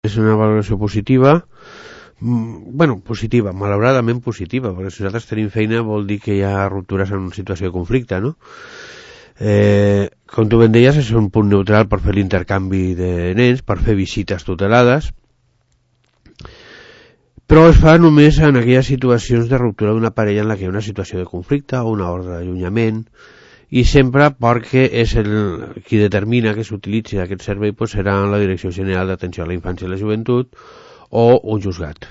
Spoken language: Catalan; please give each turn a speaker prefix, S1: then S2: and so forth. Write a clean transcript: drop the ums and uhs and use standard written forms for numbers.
S1: És una valoració positiva, positiva, malauradament positiva, perquè si nosaltres tenim feina vol dir que hi ha ruptures en una situació de conflicte, no? Com tu ben deies, és un punt neutral per fer l'intercanvi de nens, per fer visites tutelades, però es fa només en aquelles situacions de ruptura d'una parella en la que hi ha una situació de conflicte o una ordre d'allunyament, i sempre perquè és qui determina que s'utilitzi aquest servei serà la Direcció General d'Atenció a la Infància i la Joventut o un juzgat.